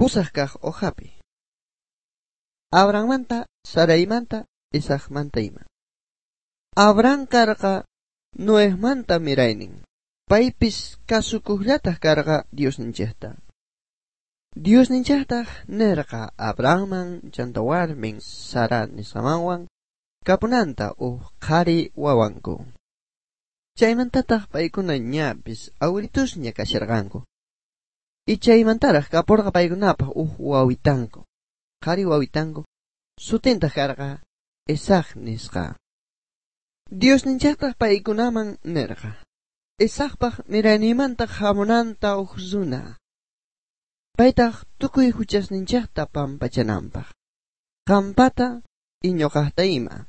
Pusaj kaj hojapi. Abrahammanta, Saraimanta, Isaacmanta ima. Abraham karqa Noejmanta miraynin. Paypis kasukuqllataq karqa Diosninchikta. Diosninchiktaq nerqa Abrahamman chanta warmin Sara nisqamanwan kapunanta uj qhari wawanku. Chaymantataq paykuna ñapis awritusña kasharqanku. Y chaymantaraq kapurqa paykunapaq uj wawitanku. Qhari wawitanku sutintaq karqa Isaac nisqa. Diosninchiktaq paykunaman nerqa. Isaacpaq miraynimanta hamunanta uj runa. Paytaq tukuy huchasninchikta pampachananpaq. Qampata y ñuqaqta ima.